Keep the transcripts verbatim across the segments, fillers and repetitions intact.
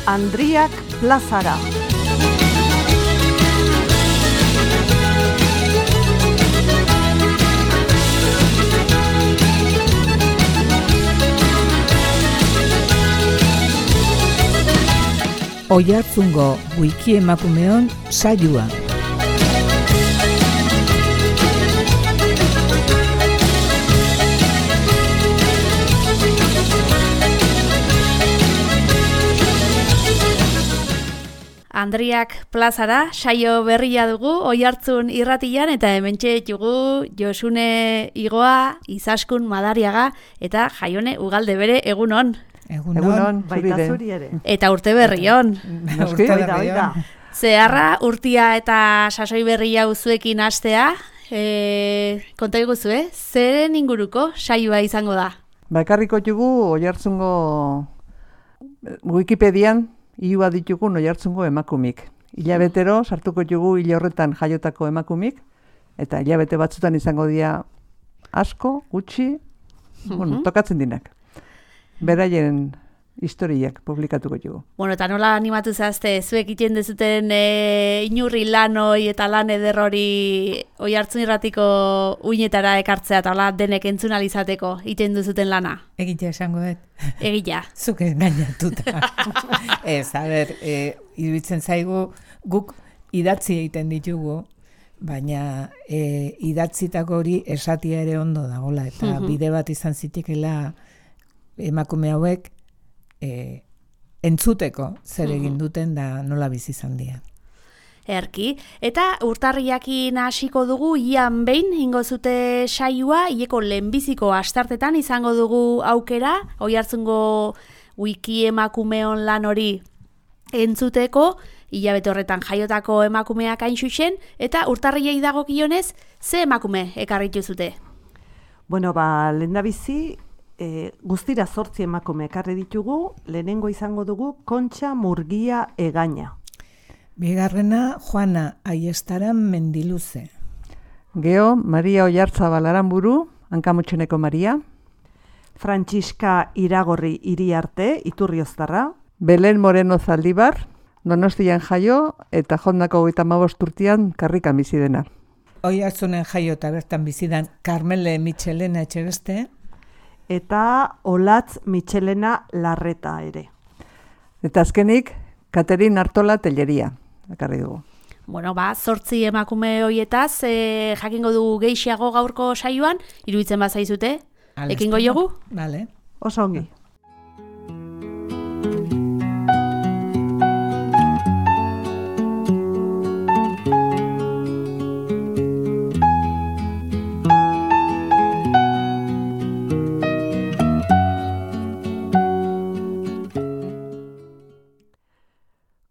Andriak plazara. Oiartzungo wiki emakumeon saioa. Andriak plazara, saio berria dugu, Oiartzun irratian, eta hementxe ditugu Josune Igoa, Izaskun Madariaga, eta Jaione Ugalde bere, egunon. Egunon, Egunon baita zuri ere. Eta urte berri on. Urte berri on. Zeharra, urtia eta sasoi berri hau zuekin hastea, e, konta iguzu, eh? Zeren inguruko saioa izango da? Bakarriko jugu Oiartzungo Wikipedian iua ditugu Oiartzungo emakumik. Hilabetero sartuko jugu hile horretan jaiotako emakumik, eta hilabete batzutan izango dira asko, gutxi, bueno, tokatzen dinak. Beraien historiak publikatuko jugu. Bueno, eta nola animatu zazte, zuek iten dezuten e, inurri lan hoi eta lan ederrori Oiartzun irratiko uinetara ekartzea, eta hola denek entzun izateko iten duzuten lana? Egitea esango dut. Egitea. Zuk engainatuta. Ez, a ber, e, iruditzen zaigu guk idatzi egiten ditugu, baina e, idatzitako hori esatia ere ondo dagola, eta Mhm. bide bat izan zitekela emakume hauek e, entzuteko zer egin duten da nola bizi izan dira. Erki. Eta urtarriakin hasiko dugu, ian behin ingo zute saioa, hileko lehenbiziko astartetan izango dugu aukera, Oiartzungo wiki emakumeon lan hori entzuteko, hilabete horretan jaiotako emakumeak hain xuxen, eta urtarriei dagokionez, ze emakume ekarritu zute? Bueno, ba, lehendabizi, e, guztira zortzi emakume ekarri ditugu, lehenengo izango dugu Kontxa Murgia Egaña. Bigarrena, Juana Aiestaran Mendiluze. Geo, Maria Oiartzabal Aranburu, Hankamotxeneko Maria. Frantziska Iragorri Iriarte, Iturrioztarra. Belen Moreno Zaldibar, Donostian jaio, eta jondako hogeita hamabost urtean karrikan bizi dena. Oiartzunen jaio eta bertan bizidan Carmele Michelena Etxebeste. Eta Olatz Michelena Larreta ere. Eta azkenik, Katerin Artola Telleria, ekarri dugu. Bueno, ba, zortzi emakume hoietaz, e, jakingo dugu gehiago gaurko saioan, iruditzen bazaizute, ekingo jogu? Vale. Oso ongi.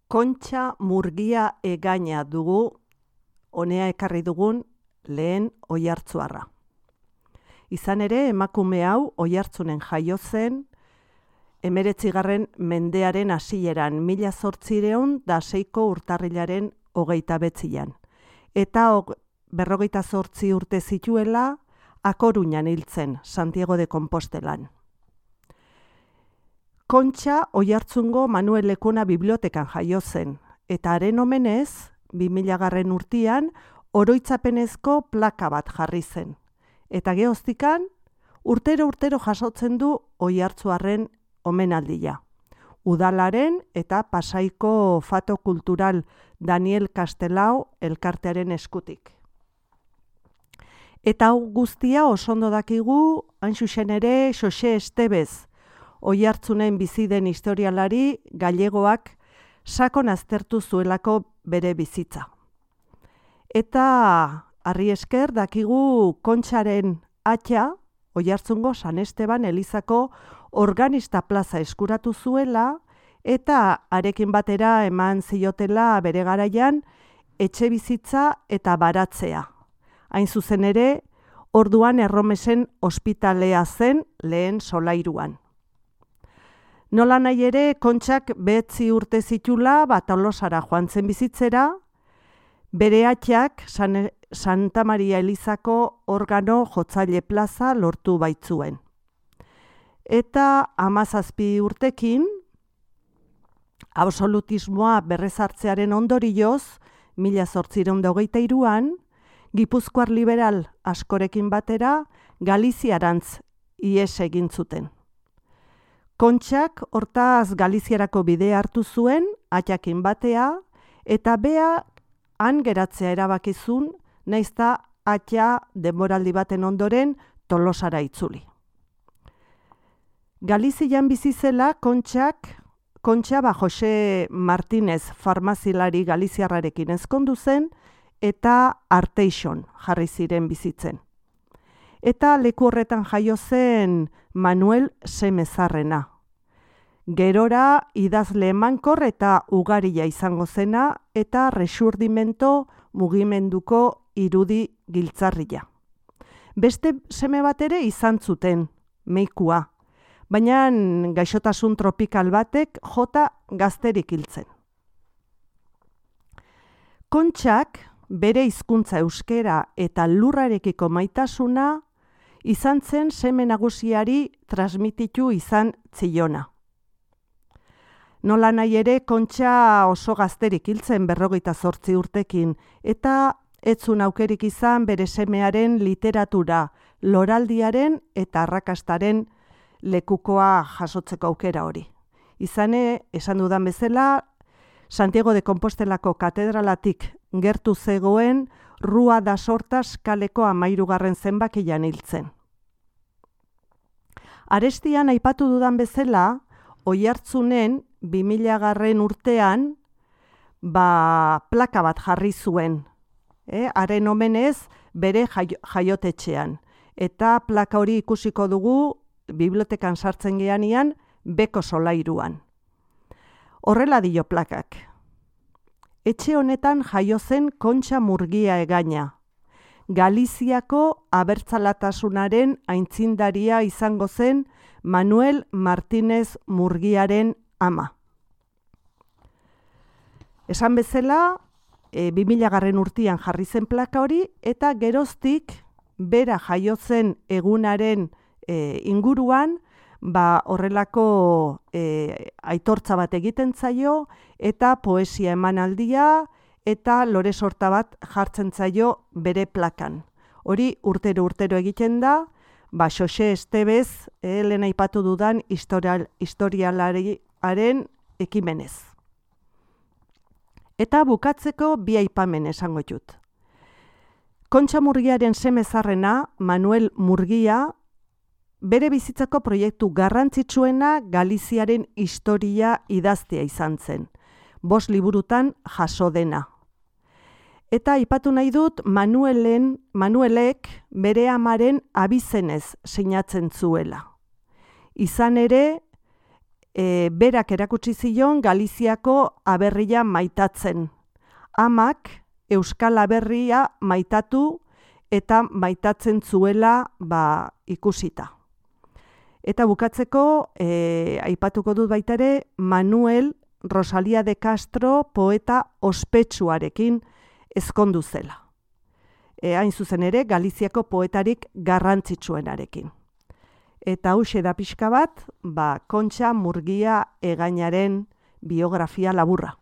Kontxa Murgia Egaña dugu, honea ekarri dugun lehen oiartzuarra. Izan ere, emakume hau Oiartzunen jaio zen, hemeretzigarren mendearen hasieran, mila zortziehun da seiko urtarrilaren hogeita betzian. Eta og, berrogeita zortzi urte zituela, A Coruñan hiltzen, Santiago de Compostelan. Kontxa Oiartzungo Manuel Lekuna bibliotekan jaio zen, eta haren omenez, bi milagarren urtean, oroitzapenezko plaka bat jarri zen. Eta gehoztikan, urtero-urtero jasotzen du Oiartzuarren omenaldia. Udalaren eta Pasaiko Fato Kultural Daniel Castelao elkartearen eskutik. Eta hau guztia osondo dakigu, hain zuzen ere, Xoxe Estebez, Oiartzunen bizi den historialari gallegoak sakon aztertu zuelako bere bizitza. Eta harri esker dakigu Kontxaren atxa, Oiartzungo San Esteban Elizako organista plaza eskuratu zuela, eta harekin batera eman ziotela bere garaian etxe bizitza eta baratzea. Hain zuzen ere, orduan Erromesen ospitalea zen lehen solairuan. Nola nahi ere, Kontxak behetzi urte zitula, bat Tolosara joan zen bizitzera, bere atxak San, Santa Maria Elizako organo jotzaile plaza lortu baitzuen. Eta hamazazpi urtekin, absolutismoa berrezartzearen ondorioz, mila zortziehun eta hogeita hiruan, Gipuzkoar liberal askorekin batera Galiziarantz ihes egin zuten. Kontxak hortaz Galiziarako bidea hartu zuen, atxakin batea, eta bea han geratzea erabakizun, naizta atxa denboraldi baten ondoren Tolosara itzuli. Galizian bizi zela Kontxak, Kontxa ba Jose Martinez farmazilari galiziarrarekin ezkondu zen, eta Arteixon jarri ziren bizitzen. Eta leku horretan jaio zen Manuel Semezarrena. Gerora idazle emankor eta ugaria izango zena eta resurdimento mugimenduko irudi giltzarria. Beste seme bat ere izan zuten, Meikua, baina gaixotasun tropikal batek jota gazterik hiltzen. Kontxak bere hizkuntza euskera eta lurrarekiko maitasuna izan zen seme nagusiari transmititu izan ziona. Nola nahi ere, Kontxa oso gazterik hiltzen berrogeita zortzi urtekin, eta etzun aukerik izan bere semearen literatura, loraldiaren eta arrakastaren lekukoa jasotzeko aukera hori. Izane, esan dudan bezala, Santiago de Compostelako katedralatik gertu zegoen Rua da Sortas kaleko amairugarren zenbakian hiltzen. Arestian aipatu dudan bezala, Oiartzunen bi milagarren urtean ba, plaka bat jarri zuen, eh? Haren omenez bere jaio, jaiotetxean. Eta plaka hori ikusiko dugu bibliotekan sartzen geanian beko solairuan. Horrela dio plakak. Etxe honetan jaio zen Kontxa Murgia egaina. Galiziako abertzalatasunaren aintzindaria izango zen Manuel Martinez Murgiaren ama. Esan bezala, e, bi milagarren urtean jarri zen plaka hori, eta geroztik bera jaio zen egunaren e, inguruan, ba horrelako e, aitortza bat egiten zaio, eta poesia emanaldia, eta lore sorta bat jartzen zaio bere plakan. Hori urtero urtero egiten da, ba Xoxe Estebez, eh, lehen aipatu dudan historial, historialariaren ekimenez. Eta bukatzeko bi aipamen esango dut. Kontxa Murgiaren semezarrena, Manuel Murgia, bere bizitzako proiektu garrantzitsuena Galiziaren historia idaztea izan zen. Bost liburutan jaso dena. Eta aipatu nahi dut Manuelen, Manuelek bere amaren abizenez sinatzen zuela. Izan ere, e, berak erakutsi zion Galiziako aberria maitatzen. Amak Euskal Aberria maitatu eta maitatzen zuela ba, ikusita. Eta bukatzeko, e, aipatuko dut baita ere, Manuel Rosalia de Castro poeta ospetsuarekin ezkondu zela. E, hain zuzen ere, Galiziako poetarik garrantzitsuenarekin. Eta hauxe da pixka bat, ba, Kontxa Murgia egainaren biografia laburra.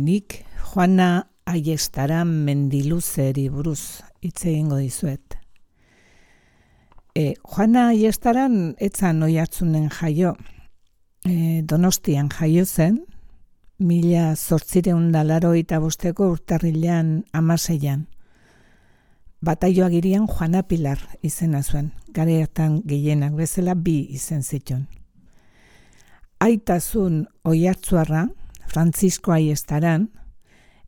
Nik Juana Aiestaran Mendiluzeri buruz hitz egingo dizuet. E, Juana Aiestaran etzan Oiartzunen jaio, e, Donostian jaio zen, mila zortziehun eta laurogeita bosteko urtarrilean hamaseian. Bataioagirian Juana Pilar izena zuen, garetan gehienak bezala bi izen zituen. Aitazun Oiartzuarra, Francisco Aiestaran,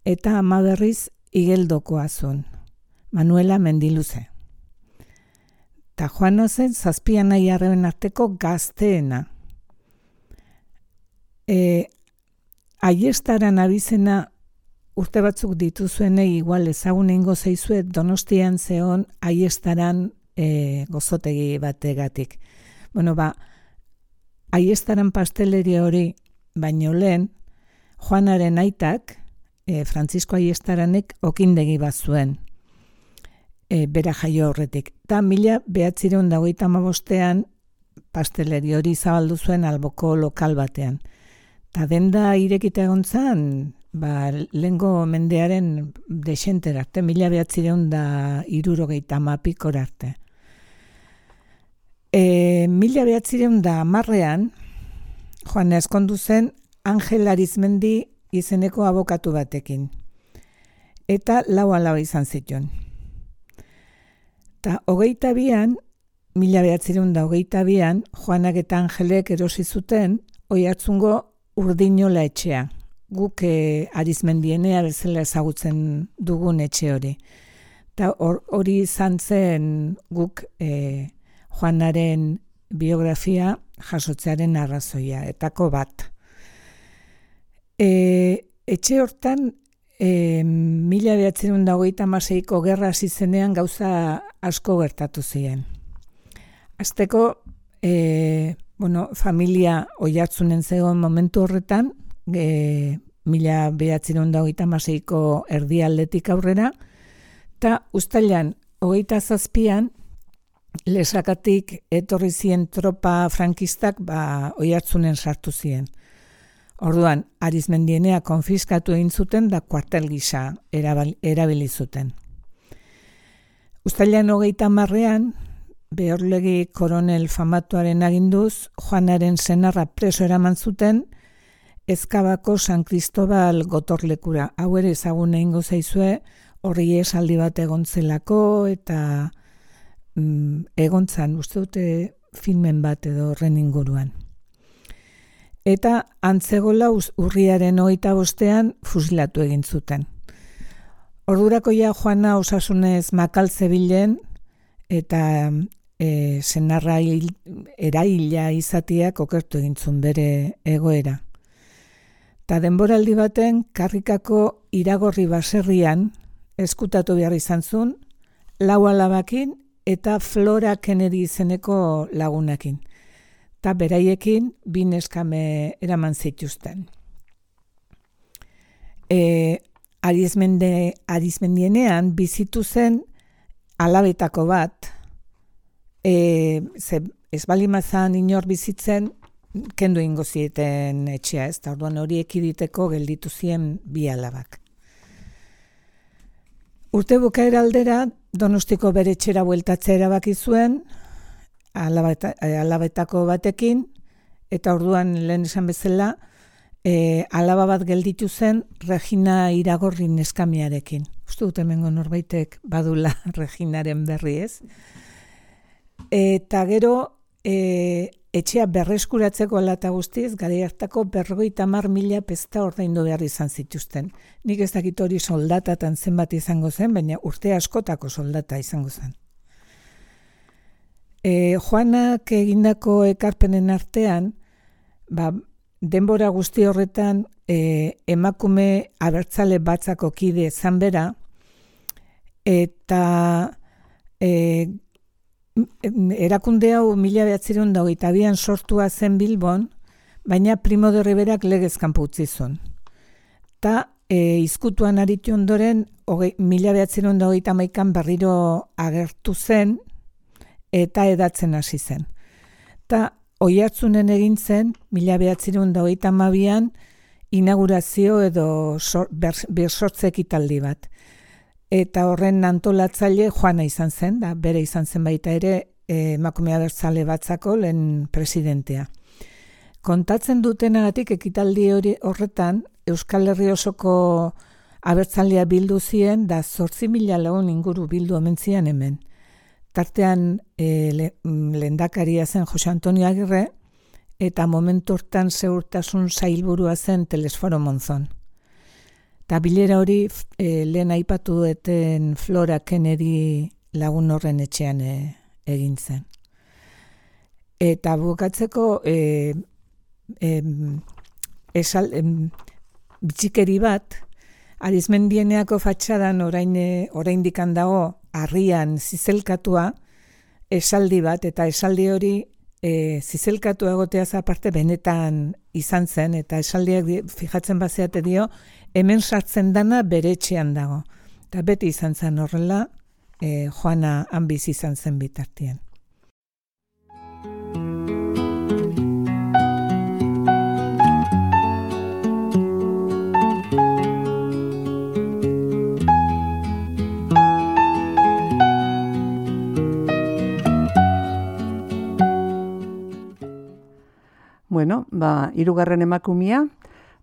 eta ama berriz igeldokoa zuen, Manuela Mendiluze. Ta Juana zen zazpi anai arreben arteko gazteena. E, Aiestaran abizena urte batzuk dituzuenei igual ezagun eingo zaizue Donostian zeon Aiestaran e, gozotegi bategatik. Bueno, ba, Aiestaran pasteleria hori baino lehen, Juanaren aitak, e, Francisco Aiestaranek okindegi bat zuen, e, bera jaio horretik. Ta mila behatzireun da hogeita hamabostean pasteleri hori zabaldu zuen alboko lokal batean. Ta denda irekita egon zan, ba, lehengo mendearen desentera arte, mila behatzireun da irurogeita hamapikor arte. E, mila behatzireun da hamarrean, Juana ezkondu zen Angel Arizmendi izeneko abokatu batekin. Eta lau alaba izan zituen. Ta hogeita bian, mila behatzireun da hogeita bian, Juanak eta Angelek erosi zuten Oiartzungo Urdinola etxea. Guk e, Arizmendienea bezala ezagutzen dugun etxe hori. Ta hori izan zen guk e, Juanaren biografia jasotzearen arrazoia, etako bat. E, etxe hortan, e, mila behatzireun da hogeita hamaseiko gerra hasi zenean gauza asko gertatu ziren. Azteko, e, bueno, familia Oiartzunen zegoen momentu horretan, e, mila behatzireun da hogeita hamaseiko erdialdetik aurrera, eta uztailan hogeita zazpian, Lesakatik etorri ziren tropa frankistak ba, Oiartzunen sartu ziren. Orduan, Arizmendienea konfiskatu egin zuten da kuartel gisa erabili zuten. Uztailan hogeita hamarrean, Behorlegi koronel famatuaren aginduz, Juanaren senarra preso eraman zuten, Ezkabako San Cristobal gotorlekura. Hau ere ezagun egingo zaizue, horri esaldi bat egontzelako eta mm, egontzan, uste dute filmen bat edo horren inguruan. Eta antzegola urriaren hogeita bostean fusilatu egin zuten. Ordurako ja Juana osasunez makal zebilen eta e, senarra hil, eraila izateak okertu egin zuen bere egoera. Ta denboraldi baten Karrikako Iragorri baserrian eskutatu behar izan zuen, lau alabakin eta Flora Kennedy izeneko lagunakin. Ta beraiekin bi neskame eraman zituzten. E, Arizmende, Arizmendienean bizitu zen alabetako bat, e, ze ez balimazan inor bizitzen, kendu ingo zieten etxea, ez da orduan hori ekiditeko gelditu ziren bi alabak. Urte bukaera aldera, Donostiko bere etxera bueltatzea erabaki zuen, alabeta, alabetako batekin, eta orduan lehen esan bezala, e, alaba bat gelditu zen Regina Iragorri neskamiarekin. Uste dut hemengo norbaitek badula Reginaren berri, ez? Eta gero, e, etxea berreskuratzeko alata guztiz, garai hartako berrogeita hamar mila pesta ordaindu behar izan zituzten. Nik ez dakit hori soldatatan zenbat izango zen, baina urte askotako soldata izango zen. E, Juanak egindako ekarpenen artean, ba, denbora guzti horretan e, emakume abertzale batzako kide zan bera, eta e, erakunde hau mila behatzireun da hogeita bian sortua zen Bilbon, baina Primo de Riverak legez kanpo utzi zuen. Ta e, izkutuan aritu ondoren, hoge, mila behatzireun da hogeita hamaikan berriro agertu zen, eta edatzen hasi zen. Ta Oiartzunen egin zen, mila behatzireun da hogeita hamabian, inaugurazio edo sor, bersortze ekitaldi bat. Eta horren antolatzaile Juana izan zen, da bere izan zen baita ere emakume abertzale batzako lehen presidentea. Kontatzen dutenagatik ekitaldi hori horretan, Euskal Herri osoko abertzalea bildu ziren, da zortzi mila lagun inguru bildu omen ziren hemen. Tartean e, le, lehendakaria zen Jose Antonio Agirre, eta momentu hortan segurtasun sailburua zen Telesforo Monzon. Eta bilera hori e, lehen aipatu dueten Flora Kennedy lagun horren etxean e, egin zen. Eta bukatzeko e, e, esal, e, bitxikeri bat, Arizmendieneako fatxadan orain, oraindikan dago harrian zizelkatua esaldi bat, eta esaldi hori e, zizelkatua egoteaz aparte benetan izan zen, eta esaldiak fijatzen bazeate dio, hemen sartzen dana bere etxean dago. Eta beti izan zen horrela, e, Joana han bizi izan zen bitartien. Bueno, ba, hirugarren emakumia,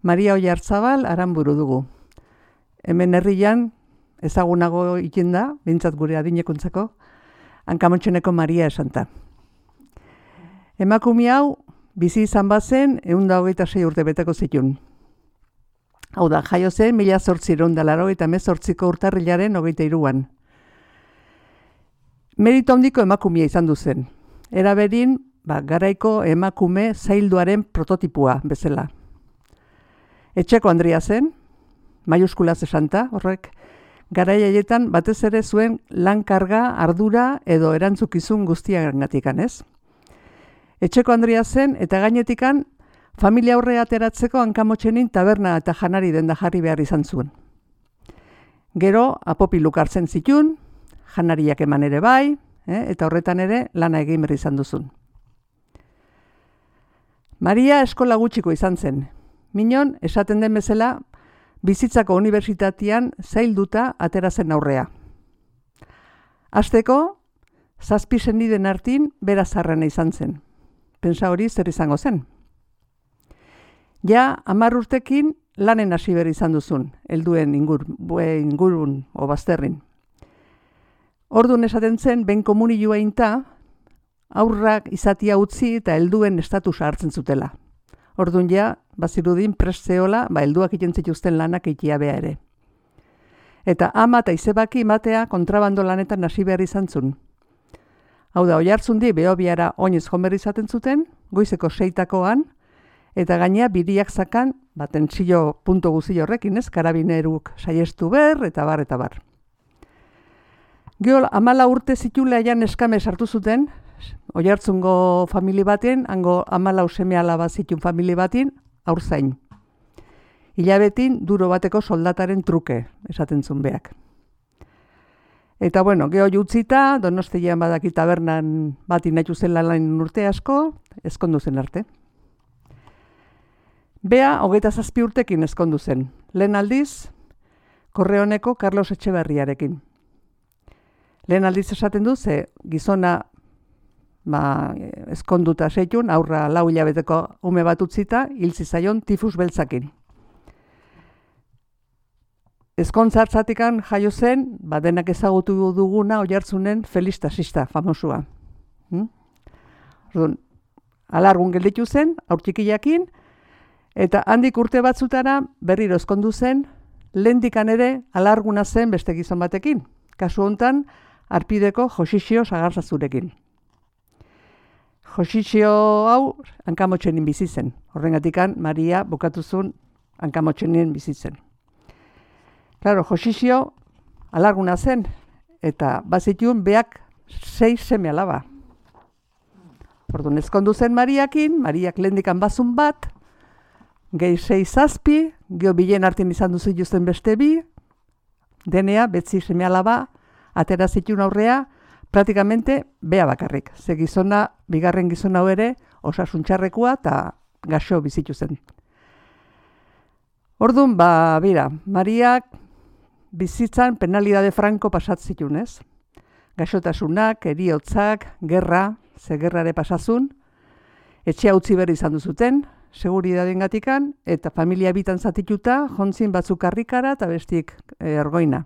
Maria Oiartzabal Aranburu dugu. Hemen herrian ezagunago ikin da, behintzat gure adinekuntzako, Hankamotxeneko Maria esanta. Emakumia hau, bizi izan bazen, ehun eta hogeita sei urte beteko zitun. Hau da, jaio zen, mila zortziehun eta laurogeita hemezortziko urtarrilaren hogeita hiruan. Merito handiko emakumia izan du zen. Era berin, ba, garaiko emakume zailduaren prototipua bezala. Etxeko Andrea zen, maiuskulaz esanta, horrek, garai haietan batez ere zuen lan karga, ardura edo erantzukizun guztiagatikan, ez? Etxeko Andrea zen eta gainetikan familia aurre ateratzeko Hankamotxenin taberna eta janari denda jarri behar izan zuen. Gero apopiluk hartzen zitun, janariak eman ere bai, eh, eta horretan ere lana egin berri izan duzun. Maria eskola gutxiko izan zen. Minon, esaten den bezala, bizitzako unibertsitatean zailduta atera zen aurrea. Hasteko, zazpi seniden artin bera zarrena izan zen. Pentsa hori zer izango zen. Ja, hamar urtekin lanen hasi behar izan duzun, helduen ingur, ingurun o bazterrin. Ordun esaten zen, ben komunilua inta, aurrak izatia utzi eta helduen estatusa hartzen zutela. Ordun ja, bazirudin prest zeola, ba, helduak iten zituzten lanak ikia bea ere. Eta ama eta izebaki matea kontrabando lanetan hasi behar izan zun. Hau da, Oiartzundi Behobiara oinez jomer izaten zuten, goizeko seitakoan, eta gainea biriak zakan, ba, tentsio punto guzi horrekin, ez, karabineruk saiestu ber, eta bar, eta bar. Gero, amala urte zitula ean eskame sartu zuten, Oiartzungo famili baten, hango amalau seme alaba zitun famili batin, aurzain. Hilabetin duro bateko soldataren truke, esaten zuen beak. Eta bueno, geho jutzita, Donostian badaki tabernan batin nahitu zen lan urte asko, ezkondu zen arte. Bea, hogeita zazpi urtekin ezkondu zen. Lehen aldiz, Korreoneko Carlos Etxeberriarekin. Lehen aldiz esaten du, ze gizona ba, ezkonduta seitun, aurra lau hilabeteko ume bat utzita, hil zizaion tifus beltzakin. Ezkontzartzatikan jaio zen, ba, denak ezagutu duguna Oiartzunen Felix Taxista, famosua. Hmm? Orduan, alargun gelditu zen, aurtxikiakin, eta handik urte batzutara berriro ezkondu zen, lehendikan ere alarguna zen beste gizon batekin. Kasu hontan, Arpideko Josixio Sagarzazurekin. Josixio hau Hankamotxenin bizi zen. Horrengatikan Maria bukatuzun Hankamotxenin bizi zen. Claro, Josixio alarguna zen, eta bazitun beak sei seme alaba. Orduan ezkondu zen Mariakin, Mariak lehendikan bazun bat, gehi sei zazpi, geho bilen artin izan duzu justen beste bi, denea betzi seme alaba, atera zitun aurrea, praktikamente bea bakarrik. Ze gizona, bigarren gizona hau ere, osasuntxarrekoa eta gaxo bizitu zen. Orduan, ba, bira, Mariak bizitzan penalidade franko pasat zitun, ez? Gaxotasunak, eriotzak, gerra, ze gerrare pasazun, etxea utzi berri izan duzuten, seguridaden gatikan, eta familia bitan zatituta, jontzin batzuk karrikara eta bestik ergoina.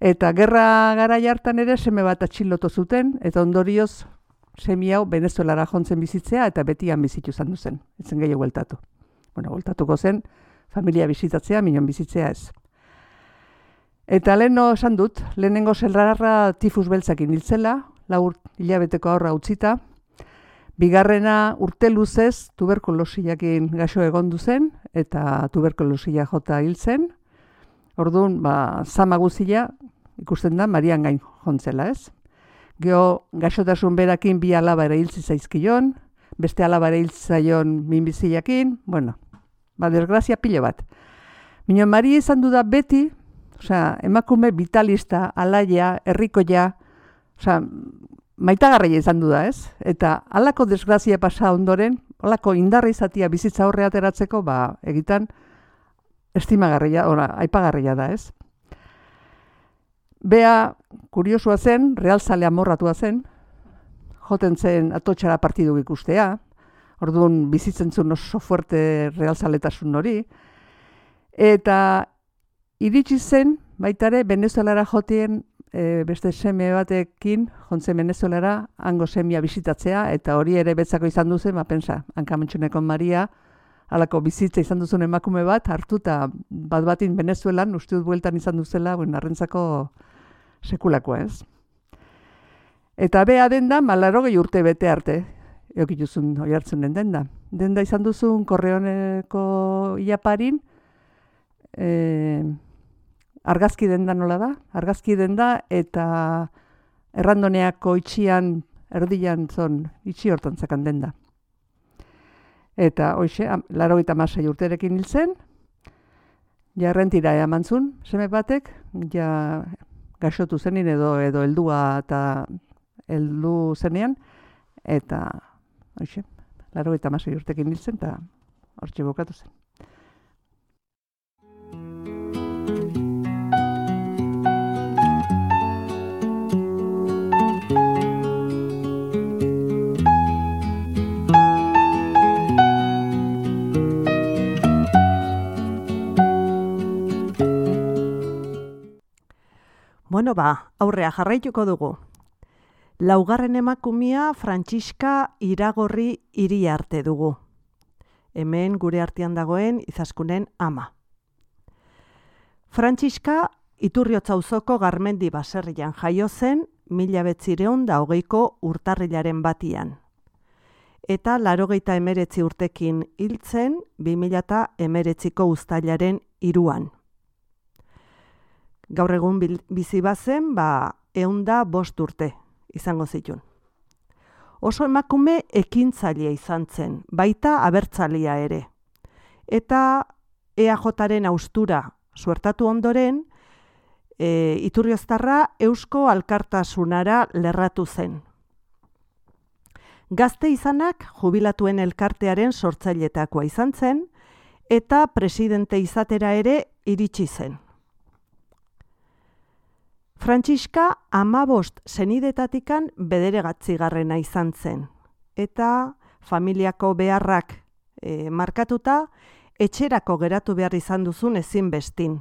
Eta gerra gara jartan ere seme bat atxilotu zuten, eta ondorioz semi hau Venezuelara jontzen bizitzea eta betian bizitu izan duzen. Etzen gehiago bueltatu. Bueno, bueltatuko zen, familia bizitatzea, minon bizitzea ez. Eta leheno esan dut, lehenengo zelrarra tifus beltzakin hiltzela, lau hilabeteko aurra utzita. Bigarrena urte luzez tuberkulosiakin gaixo egondu zen, eta tuberkulosia jota hil zen. Orduan, ba, zama guzia ikusten da Marian gain jontzela, ez? Geo, gaixotasun berakin bi alaba ere hil zaizkion, beste alaba ere hil zaion minbiziakin, bueno, ba, desgrazia pilo bat. Minon Maria izan du da beti, osea, emakume vitalista, alaia, herrikoia, osea, maitagarria izan du da, ez? Eta halako desgrazia pasa ondoren, halako indarra izatia bizitza horre ateratzeko, ba, egitan estimagarria, ora, aipagarria da, ez? Bea, kuriosua zen, realzale amorratua zen, joten zen atotxara partidu ikustea, orduan bizitzen zuen oso fuerte realzaletasun hori, eta iritsi zen, baitare, Venezuelara jotien e, beste seme batekin, jontzen Venezuelara, hango semia bisitatzea, eta hori ere betzako izan duzen, ba, pensa, Hankamentxuneko Maria, halako bizitza izan duzun emakume bat, hartuta bat batin Venezuelan, uste dut bueltan izan duzela, bueno, arrentzako sekulakoa, ez? Eta bea denda, malarogei urte bete arte, eokituzun hori hartzunen denda. Denda izan duzun Korreoneko Iaparin, e, argazki denda nola da? Argazki denda eta errandoneako itxian, erdian zon, itxi hortan zakan denda. Eta hoxe, laurogeita hamasei urterekin hil zen, ja errentira eman zuen, seme batek, ja gaixotu zenin edo edo heldua eta heldu zenean, eta hoxe, laurogeita hamasei urterekin hil zen, eta hortxe bukatu zen. Bueno, ba, aurrea jarraituko dugu. Laugarren emakumia Frantziska Iragorri Iriarte dugu. Hemen gure artean dagoen Izaskunen ama. Frantziska Iturriotza auzoko Garmendi baserrian jaio zen mila bederatziehun eta hogeiko urtarrilaren batian. Eta laurogeita hemeretzi urtekin hiltzen bi mila hemeretziko uztailaren hiruan. Gaur egun bizi bazen, ba, ehun eta bost urte izango zituen. Oso emakume ekintzailea izan zen, baita abertzalia ere. Eta E A Jaren haustura suertatu ondoren, e, Iturrioztarra Eusko Alkartasunara lerratu zen. Gazte izanak jubilatuen elkartearen sortzailetakoa izan zen, eta presidente izatera ere iritsi zen. Frantziska hamabost senidetatikan bederatzigarrena izan zen, eta familiako beharrak e, markatuta, etxerako geratu behar izan duzun ezin bestin.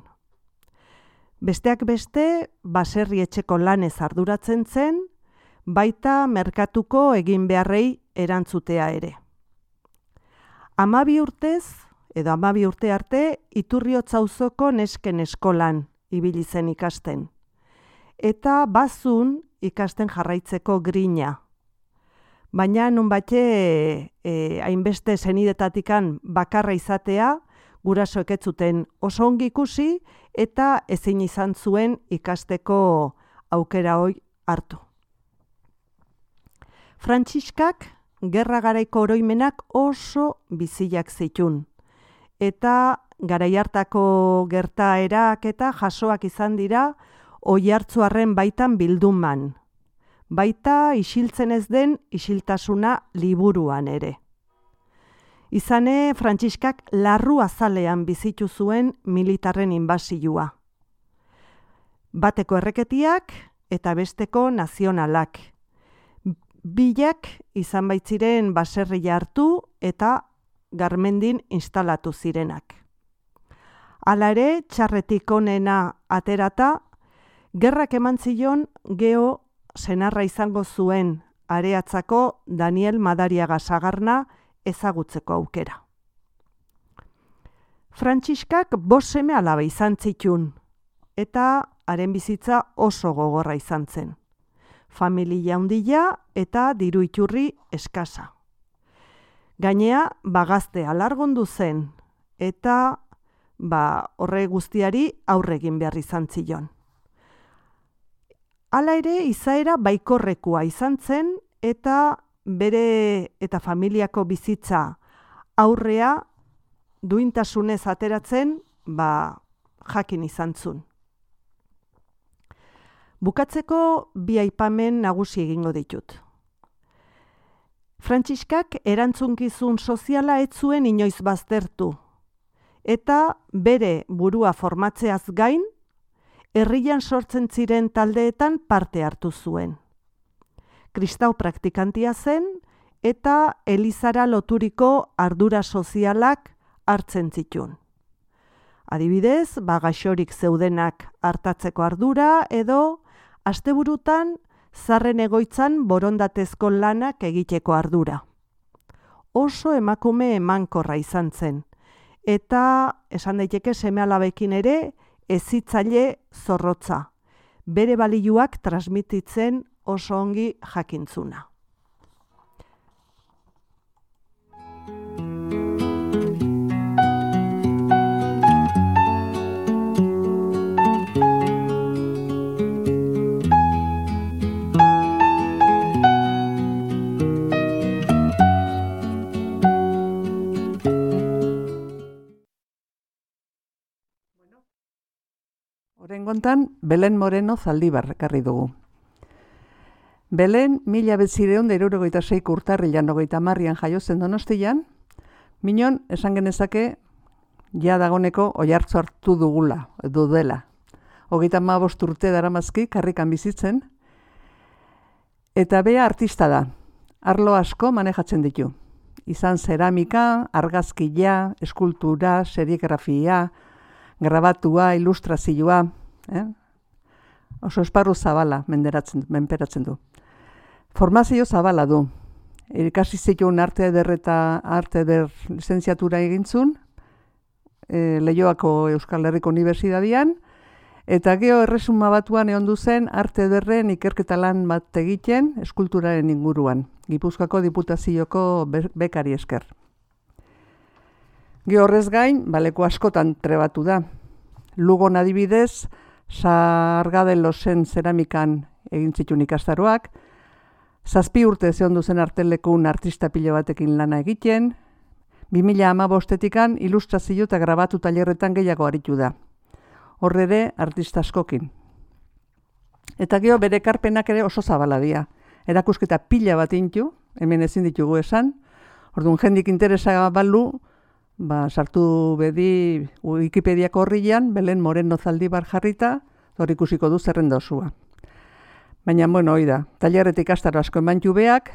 Besteak beste, baserri etxeko lanez arduratzen zen, baita merkatuko egin beharrei erantzutea ere. Hamabi urtez, edo hamabi urte arte, Iturriotza auzoko nesken eskolan ibili zen ikasten. Eta bazun ikasten jarraitzeko grina. Baina nunbait e, hainbeste senidetatikan bakarra izatea, gurasoek ez zuten oso ongi ikusi eta ezin izan zuen ikasteko aukera hoi hartu. Frantziskak gerra garaiko oroimenak oso biziak zitun, eta garai hartako gertaerak eta jasoak izan dira Oiartzuarren baitan bilduman, baita isiltzen ez den isiltasuna liburuan ere. Izane, Frantziskak larru azalean bizitu zuen militarren inbasioa. Bateko erreketiak eta besteko nazionalak. Bilak izan baitziren baserria hartu eta Garmendin instalatu zirenak. Hala ere, txarretik onena aterata, gerrak eman zion geho senarra izango zuen Areatzako Daniel Madariaga Sagarna ezagutzeko aukera. Frantziskak bost seme alaba izan zitun, eta haren bizitza oso gogorra izan zen. familia handia eta diru iturri eskasa. Gainea, bagazte alargondu zen, eta ba, horre guztiari aurre egin behar izan zion. Hala ere, izaera baikorrekoa izan zen, eta bere eta familiako bizitza aurrea duintasunez ateratzen, ba, jakin izan zuen. Bukatzeko bi aipamen nagusi egingo ditut. Frantziskak erantzunkizun soziala ez zuen inoiz baztertu, eta bere burua formatzeaz gain, herrian sortzen ziren taldeetan parte hartu zuen. Kristau praktikantia zen, eta elizara loturiko ardura sozialak hartzen zituen. Adibidez, bagaxorik zeudenak hartatzeko ardura edo asteburutan zarren egoitzan borondatezko lanak egiteko ardura. Oso emakume emankorra izan zen, eta esan daiteke seme-alabekin ere hezitzaile zorrotza, bere balioak transmititzen oso ongi jakintzuna. Oraingoan Belen Moreno Zaldibar ekarri dugu. Belen mila bederatziehun eta hirurogeita seiko urtarrilan hogeita hamarrean jaio zen Donostian, minon esan genezake ja dagoneko oihartzu hartu dugula, edo dela. Hogeita hamabost urte daramazki karrikan bizitzen, eta bea artista da, arlo asko manejatzen ditu. Izan zeramika, argazkia, eskultura, serigrafia, grabatua, ilustrazioa, eh? Oso esparru zabala menderatzen, menperatzen du. Formazio zabala du. Ikasi zituen arte eder eta arte eder lizentziatura egintzun, e, Leioako Euskal Herriko Unibertsitatean, eta geho erresuma batuan egon zen arte ederren ikerketa lan bat egiten eskulturaren inguruan, Gipuzkoako Diputazioko bekari esker. Geho horrez gain, baleko askotan trebatu da. Lugon adibidez, Sargaden losen zeramikan egin zituen ikastaroak, zazpi urte zehondu zen artelekun artista pilo batekin lana egiten, bi mila hamabostetikan ilustrazio eta grabatu tailerretan gehiago aritu da. Horre ere, artista askokin. Eta geho bere ekarpenak ere oso zabala dira. Erakusketa pila bat intu, hemen ezin ditugu esan, orduan jendik interesa balu, ba, sartu bedi Wikipediako horrian, Belen Moreno Zaldibar jarrita, hor ikusiko du zerrenda osua. Baina, bueno, hoi da, tailerretik ikastaro asko emantxu beak,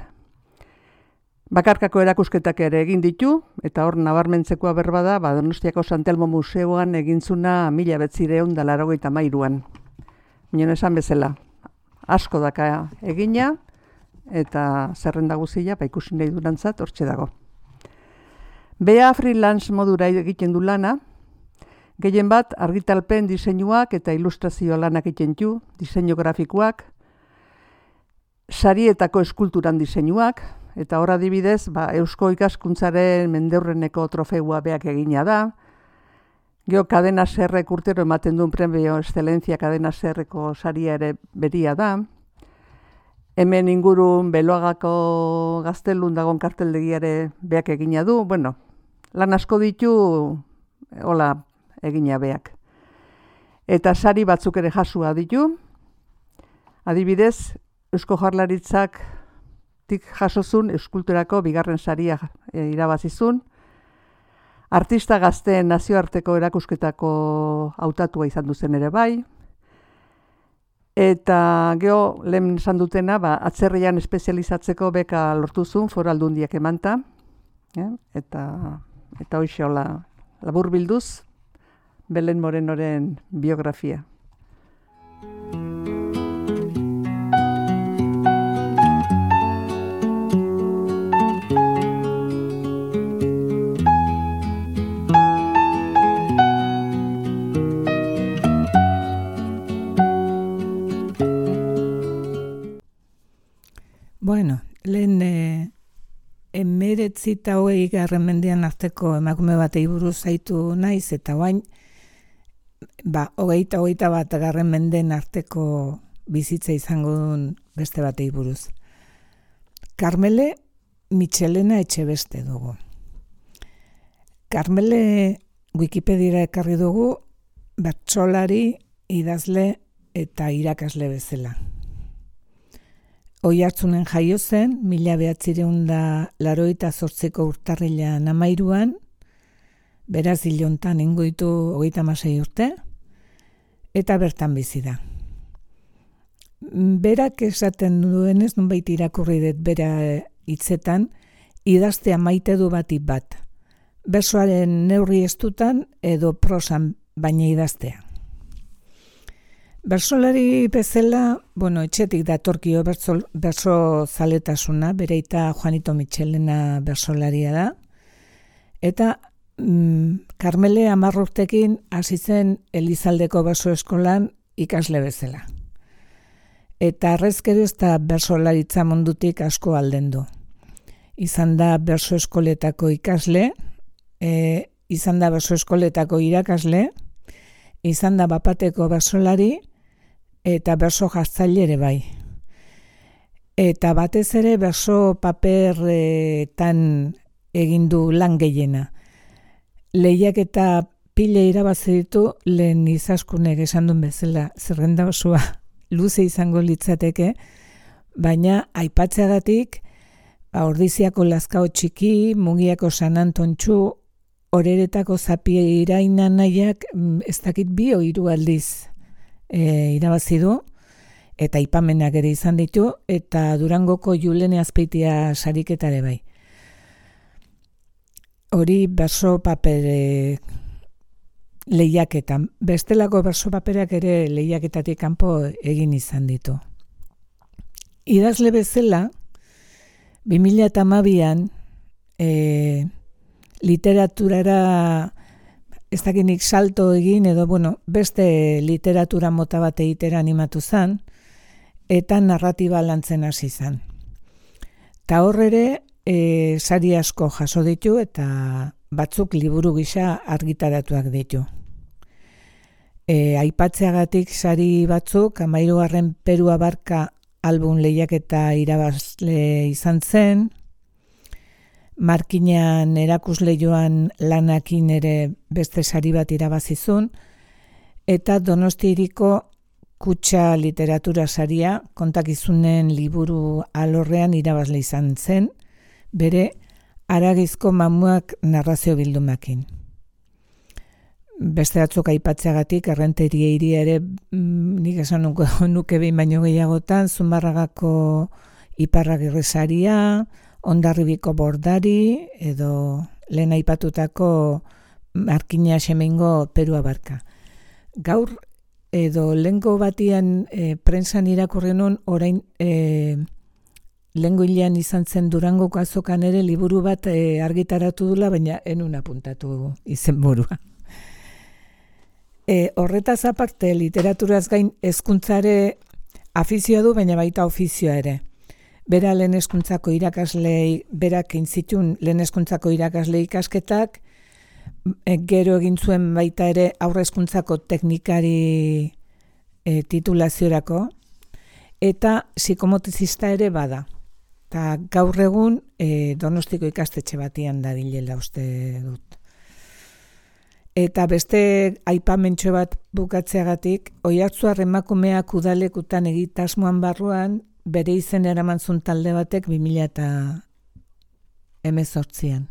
bakarkako erakusketak ere egin ditu, eta hor nabarmentzekoa berba da, ba, Donostiako Santelmo Museoan egintzuna mila bederatziehun eta laurogeita hamairuan. Minon esan bezala, asko daka egina, eta zerrenda guzia, ba, ikusi nahi durantzat, hortxe dago. Bea freelance modura egiten du lana, gehien bat argitalpen diseinuak eta ilustrazio lanak egiten du, diseinu grafikoak, sarietako eskulturan diseinuak, eta hor adibidez, ba, Eusko Ikaskuntzaren mendeurreneko trofeua beak egina da, geho Cadena Serrek urtero ematen duen premio Excelencia Cadena Serreko saria ere beria da, hemen ingurun Beloagako gaztelun dagon karteldegiare beak egina du, bueno, lan asko ditu, hola, egina beak. Eta sari batzuk ere jasua ditu, adibidez, Eusko Jaurlaritzak tik jasozun eskulturako bigarren saria e, irabazizun, artista gazteen nazioarteko erakusketako hautatua izan duzen ere bai, eta geho, lehen esan dutena, ba, atzerrian espezializatzeko beka lortuzun Foru Aldundiak emanta, eh? eta, eta hoxe hola labur bilduz, Belen Morenoren biografia. Bueno, lehen e, emeretzi eta hogei garren mendean arteko emakume batei buruz zaitu naiz, eta oain, ba, hogeita hogeita bat garren mendeen arteko bizitza izango duen beste batei buruz. Karmele Michelena Etxebeste dugu. Karmele Wikipediara ekarri dugu bertsolari, idazle eta irakasle bezala. Oiartzunen jaio zen, mila behatzireun da laroita zortziko urtarrilean hamairuan, beraz hilontan ingoitu hogeita hamasei urte, eta bertan bizi da. Berak esaten duenez, nunbait irakurri dut bera hitzetan, idaztea maite du batik bat. Bersoaren neurri estutan edo prosan baina idaztea. Bersolari bezala, bueno, etxetik datorkio berso, berso zaletasuna, bereita Juanito Michelena bersolaria da, eta mm, Karmele hamar urtekin hasi zen Elizaldeko berso eskolan ikasle bezala. Eta arrezkero ez da bersolaritza mundutik asko aldendu. Izan da berso eskoletako ikasle, e, izan da berso eskoletako irakasle, izan da bapateko bersolari, eta berso jartzaile ere bai. Eta batez ere berso paperretan egin du lan gehiena. Lehiak eta pile irabazi ditu lehen izaskunek esan duen bezala, zerrenda osoa luze izango litzateke, baina aipatzeagatik ba, Ordiziako Lazkao Txiki, Mugiako San Antontxu, Oreretako Zapie Iraina nahiak ez dakit bi o hiru aldiz e, irabazi du, eta aipamenak ere izan ditu, eta Durangoko Julene Azpeitia sariketare bai. Hori berso papere lehiaketan. Bestelako berso paperak ere lehiaketatik kanpo egin izan ditu. Idazle bezala, bi mila hamabian e, literaturara ez dakinik salto egin edo bueno, beste literatura mota bat egitera animatu zen, eta narratiba lantzen hasi zen. Ta hor ere e, sari asko jaso ditu eta batzuk liburu gisa argitaratuak ditu. E, aipatzeagatik sari batzuk, hamairugarren Peru Abarka album lehiaketa irabazle izan zen, Markinean erakusle joan lanakin ere beste sari bat irabazizun, eta Donosti Hiriko Kutxa literatura saria kontakizunen liburu alorrean irabazle izan zen, bere Haragizko mamuak narrazio bildumakin. Beste batzuk aipatzeagatik, Errenteria hiria ere mm, nik esan nuke, nuke behin baino gehiagotan, Zumbarragako Iparragirre saria, Hondarribiko Bordari, edo lehen aipatutako Markina Xemeingo Peru Abarka. Gaur edo lehengo batian e, prensan irakurri nun, orain e, lehengo hilean izan zen Durangoko azokan ere liburu bat e, argitaratu dula, baina enun apuntatu izenburua. E, horretaz aparte, literaturaz gain hezkuntzare afizioa du, baina baita ofizioa ere. Bera lehen hezkuntzako irakaslei, berak intzitun lehen hezkuntzako irakasle ikasketak, e, gero egin zuen baita ere aurre hezkuntzako teknikari e, titulaziorako, eta psikomotizista ere bada. Ta gaur egun e, Donostiko ikastetxe batian dabilela uste dut. Eta beste aipamentxo bat bukatzeagatik, Oiartzuar emakumeak udalekutan egitasmoan barruan, bere izen eramantzun talde batek bi mila hemezortzian.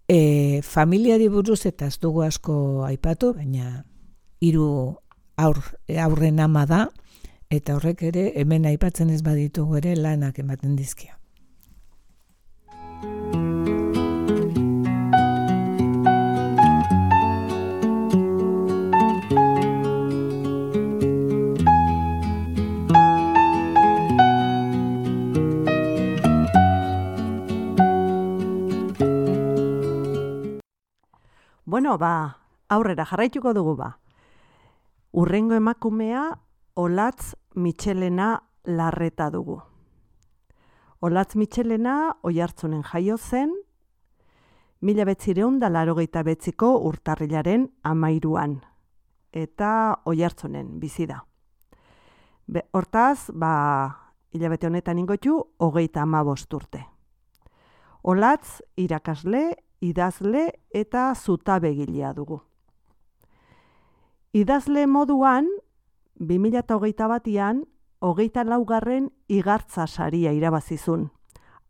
E, familiari buruz eta ez dugu asko aipatu, baina hiru aur, aurren ama da, eta horrek ere hemen aipatzen ez baditugu ere lanak ematen dizkio. Bueno, ba, aurrera jarraituko dugu ba. Urrengo emakumea Olatz Michelena Larreta dugu. Olatz Mitxelena Oiartzunen jaio zen, mila behatziehun eta laurogeita bederatziko urtarrilaren hamairuan, eta Oiartzunen bizi da. Be, hortaz, ba, hilabete honetan ingotu, hogeita hamabost urte. Olatz irakasle, idazle eta zutabegilea dugu. Idazle moduan, bi mila hogeita batean, hogeita laugarren igartza saria irabazizun,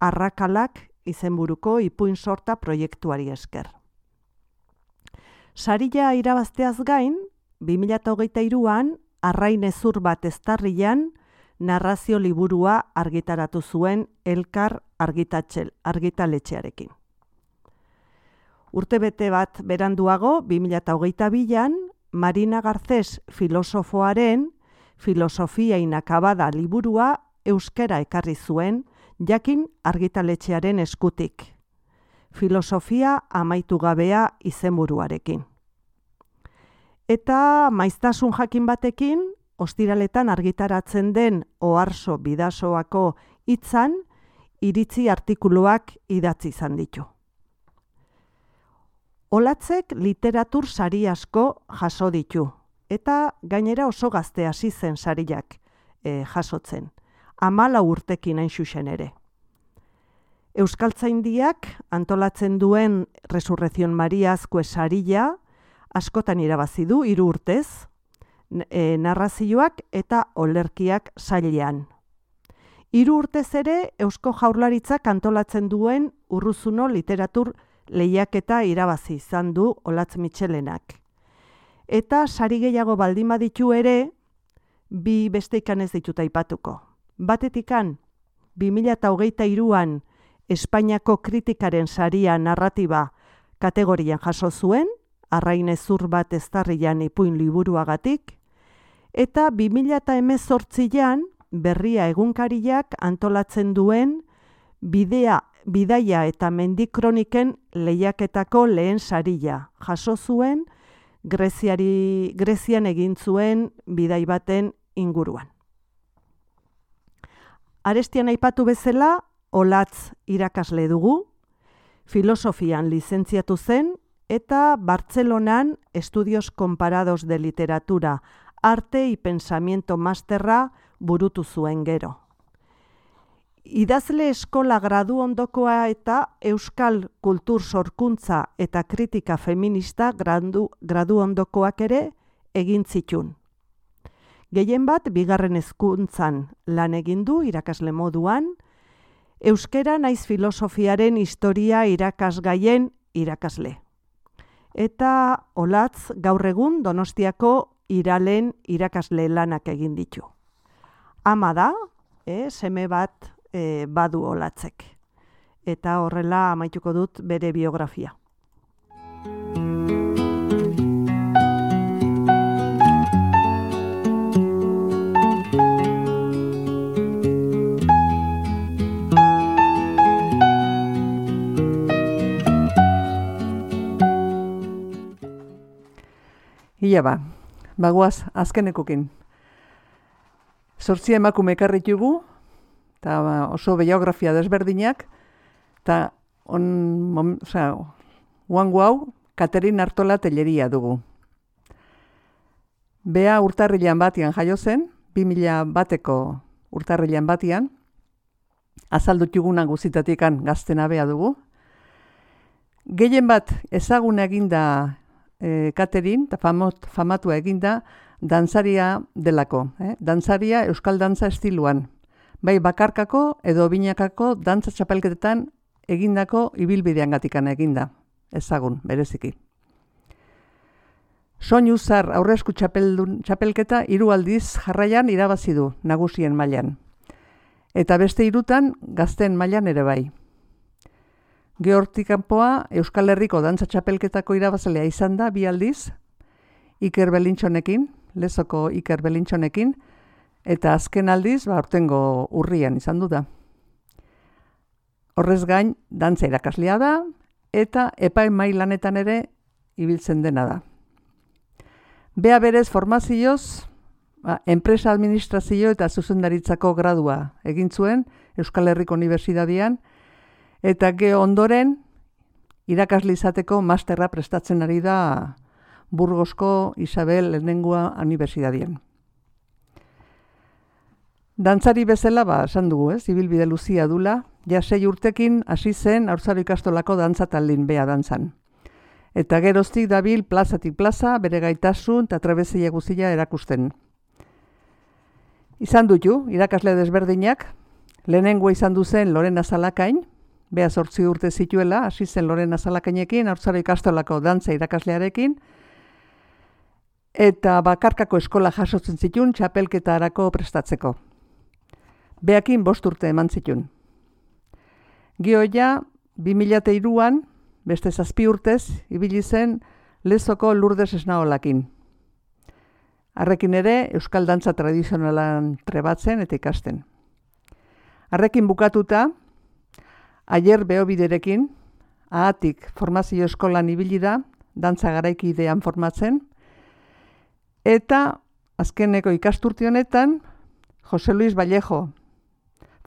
Arrakalak izenburuko ipuin sorta proiektuari esker. Saria irabazteaz gain, bi mila hogeita hiruan, Arrain hezur bat eztarrian, narrazio liburua argitaratu zuen Elkar argitatxel, argitaletxearekin. Urtebete bat beranduago, bi mila hogeita bian, Marina Garcés filosofoaren Filosofia inakabada liburua euskara ekarri zuen, jakin argitaletxearen eskutik. Filosofia amaitu gabea izenburuarekin. Eta maiztasun jakin batekin, ostiraletan argitaratzen den Oarso Bidasoako hitzan, iritzi artikuluak idatzi izan ditu. Olatzek literatur sari asko jaso ditu, eta gainera oso gazte hasi zen sariak e, jasotzen, hamalau urtekin hain xuxen ere. Euskaltzaindiak antolatzen duen Resurrezion Mariazko saria askotan irabazi du hiru urtez, e, narrazioak eta olerkiak sailean. Hiru urtez ere Eusko Jaurlaritzak antolatzen duen Urruzuno literatur lehiaketa irabazi izan du Olatz Mitxelenak. Eta sari gehiago baldin baditu ere, bi beste ikan ez ditut aipatuko. Batetikan, bi mila hogeita hiruan Espainiako kritikaren saria narratiba kategorian jaso zuen, Arrain hezur bat eztarrian ipuin liburuagatik, eta bi mila hemezortzian Berria egunkariak antolatzen duen bidea, bidaia eta mendikroniken lehiaketako lehen saria jaso zuen, Greziari, Grezian egin zuen bidai baten inguruan. Arestian aipatu bezala, Olatz irakasle dugu, filosofian lizentziatu zen, eta Bartzelonan Estudios Comparados de Literatura, Arte y Pensamiento Masterra burutu zuen gero. Idazle eskola gradu ondokoa eta Euskal Kultur Sorkuntza eta Kritika Feminista gradu, gradu ondokoak ere egin zitun. Gehien bat, bigarren hezkuntzan lan egin du irakasle moduan, euskera naiz filosofiaren historia irakasgaien irakasle. Eta Olatz gaur egun Donostiako Iralen irakasle lanak egin ditu. Ama da, eh, seme bat E, badu Olatzek. Eta horrela amaituko dut bere biografia. Ia ba, bagoaz azkenekokin. Zortzi emakume ekarritugu, eta oso biografia desberdinak, eta on, osea, guango hau, Katerin Artola Telleria dugu. Bea urtarrilean batian jaio zen, bi mila bateko urtarrilean batian, azaldutugunan guzitatikan gaztena bea dugu. Gehien bat ezaguna eginda e, Katerin, eta famot, famatua eginda, dantzaria delako. Eh? Dantzaria euskal dantza estiluan. Bai bakarkako edo binakako dantza txapelketetan egindako ibilbidean gatikan eginda, ezagun, bereziki. Soinu zar aurresku txapelketa hiru aldiz jarraian irabazi du nagusien mailan. Eta beste hirutan gazten mailan ere bai. Gehortik kanpoa Euskal Herriko dantza txapelketako irabazlea izan da bi aldiz, Iker Belintxonekin, Lezoko Iker Belintxonekin, eta azken aldiz, ba, aurtengo urrian izan du da. Horrez gain, dantza irakaslea da, eta epaimahai lanetan ere ibiltzen dena da. Bea berez formazioz, ba, enpresa administrazio eta zuzendaritzako gradua egin zuen Euskal Herriko Unibertsitatean, eta gero ondoren irakasle izateko masterra prestatzen ari da Burgosko Isabel lehenengoa Unibertsitatean. Dantzari bezala, ba, esan dugu, ez, ibilbide luzia dula, ja sei urtekin hasi zen Haurtzaro ikastolako dantza taldin bea dantzan. Eta geroztik dabil plazatik plaza, bere gaitasun eta trebezia guztia erakusten. Izan dutu, irakasle desberdinak, lehenengo izan duzen Lorena Zalakain, bea zortzi urte zituela, hasi zen Lorena Zalakainekin, Haurtzaro ikastolako dantza irakaslearekin, eta bakarkako eskola jasotzen zitun txapelketarako prestatzeko. Beakin bost urte eman zitun. Gioia, bi mila hiruan, beste zazpi urtez, ibili zen Lezoko Lourdes Esnaolakin. Harrekin ere, euskal dantza tradizionalan trebatzen eta ikasten. Harrekin bukatuta, Aier Beobiderekin, ahatik formazio eskolan ibili da, dantza garaikidean formatzen, eta azkeneko ikasturte honetan, Jose Luis Vallejo,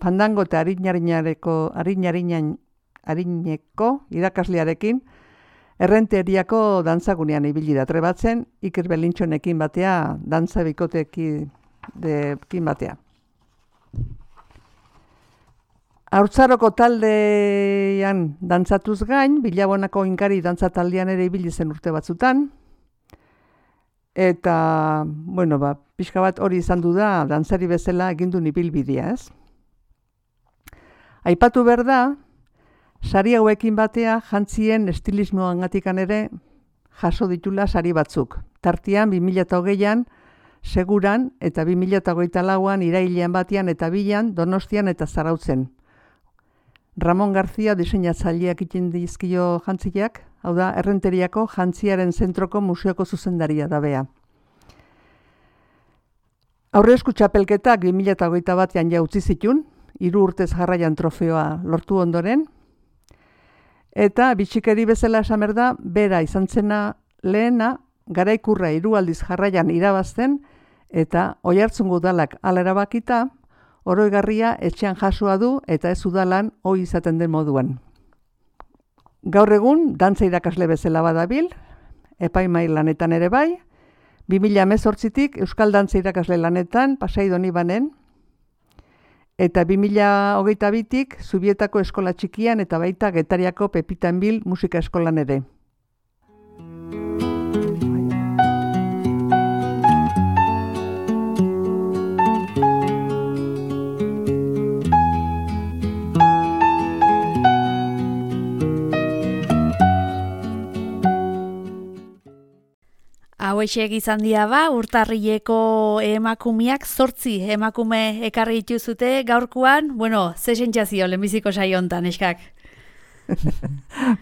fandango eta arinariko, arinarinan, arineko irakaslearekin, errenteriako dantzagunean ibili da trebatzen, Iker Belintxonekin batea, dantza bikotekin batea. Haurtzaroko taldean dantzatuz gain, Bilabonako Inkari dantza taldean ere ibili zen urte batzutan, eta, bueno, ba, pixka bat hori izan du da, dantzari bezala egindun ibilbidea, ez? Aipatu behar da, sari hauekin batea jantzien estilismoangatikan ere jaso ditula sari batzuk. Tartian, bi mila hogeian, Seguran, eta bi mila hogeita lauan irailean batean eta bilan, Donostian eta Zarautzen. Ramon Garzia diseinatzaileak ikin dizkio jantziak, hau da, Errenteriako Jantziaren Zentroko Museoko zuzendaria da bea. Aurrezku txapelketak bi mila hogeita batean ja utzi zitun, hiru urtez jarraian trofeoa lortu ondoren, eta bitxikeri bezala esan behar da, bera izan zena lehena, garaikurra hiru aldiz jarraian irabazten, eta Oiartzungo udalak hala erabakita, oroigarria etxean jasoa du eta ez udalan ohi izaten den moduan. Gaur egun, dantza irakasle bezala badabil, epaimai lanetan ere bai, bi mila hemezortzitik Euskal Dantza irakasle lanetan Pasai Donibanen, eta bi mila hogeita bitik Zubietako eskola txikian eta baita Getariako Pepitan Bil musika eskolan ere. Hauexek izan dira ba, urtarrileko emakumiak, zortzi emakume ekarri dituzute gaurkoan, bueno, ze sentsazio lehenbiziko saio hontan, eskak?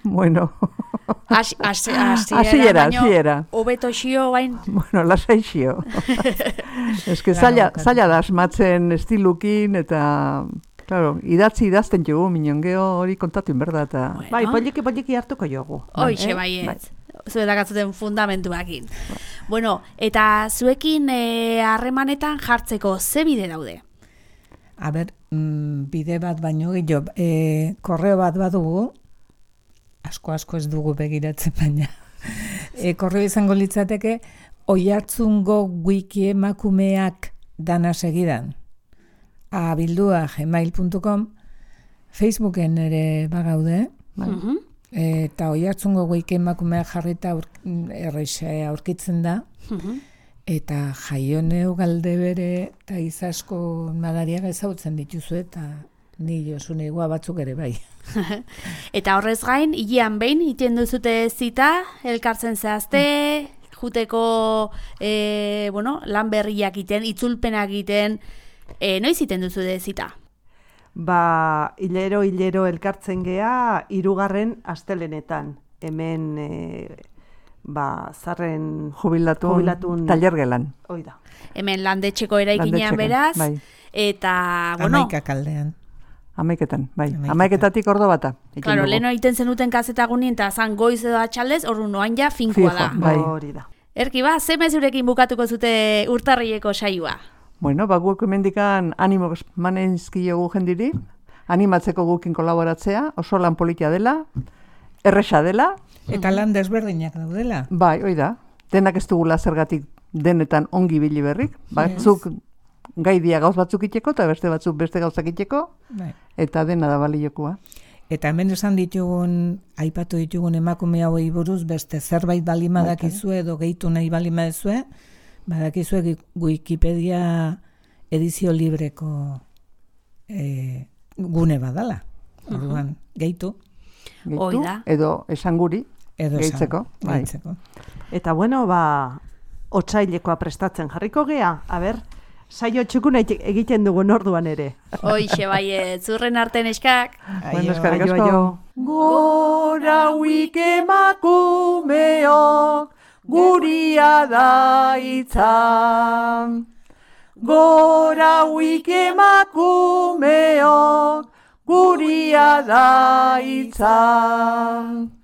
Bueno. Hasiera, hasiera. Hobeto xio bain. Bueno, lasai xio. Ez que zaila da asmatzen estilukin eta, claro, idatzi idazten jogu, minongeo hori kontatu inberda eta... Bueno. Bai, poliki poliki hartuko jogu. Hoixe baiet. Zuetak atzuten fundamentuakin. Bueno, eta zuekin harremanetan jartzeko ze bide daude? A ber, mm, bide bat baino gehiago, e, korreo bat badugu, asko-asko ez dugu begiratzen baina. E, korreo izango litzateke, Oiartzungo wiki emakumeak dana segidan. abildua gmail puntu com, Facebooken ere bagaude, bai? Uh-huh. Eta Oiartzungo wiki emakumeak jarrita erreixe aurkitzen da. Uh-huh. Eta Jaioneo Galdebere eta Izasko madariak ezagutzen dituzu eta ni Josune igua batzuk ere bai. Eta horrez gain, hilean behin iten duzute zita, elkartzen zehazte, juteko e, bueno, lan berriak iten, itzulpenak iten, e, noiz iten duzute zita? Ba, hilero, hilero elkartzen gea, hirugarren astelenetan. Hemen... E, ba, zarren jubilatun, jubilatun talergelan. Hoi da. Hemen landetxeko eraikinean beraz, bai. Eta, bueno... Amaika kaldean. Amaiketan, bai. Amaiketatik ordo bata. Claro, leheno egiten zenuten kazetagunien, eta zan goiz edo atxaldez, ordu noan ja finkoa da. Bai. Hori da. Erki ba, ze mezurekin bukatuko zute urtarrileko saioa? Bueno, ba, guk emendikan animo manezkiogu jendiri, animatzeko gukin kolaboratzea, oso lan politia dela, erresa dela. Eta lan desberdinak daudela. Bai, hoi da, denak ez dugula zergatik denetan ongi bili berrik, batzuk gai dia gauz batzuk itxeko, eta beste batzuk beste gauzak itxeko, Bai. eta dena da baliokoa. Eta hemen esan ditugun, aipatu ditugun emakume hauei buruz, beste zerbait balima dakizue edo gehitu nahi balima dezue, badakizue Wikipedia edizio libreko e, gune badala. Orduan, gehitu. Gehitu, edo esan guri, edo gehitzeko. Esan, bai. gehitzeko. Eta bueno, ba, otsailekoa prestatzen jarriko gea, a ber, saio txukuna egiten dugun orduan ere. Hoixe bai, zurren arten eskak. Bueno, eskarrik asko. Gora huik emakumeok, guria da itzan. Gora huik emakumeok, guria da itzan.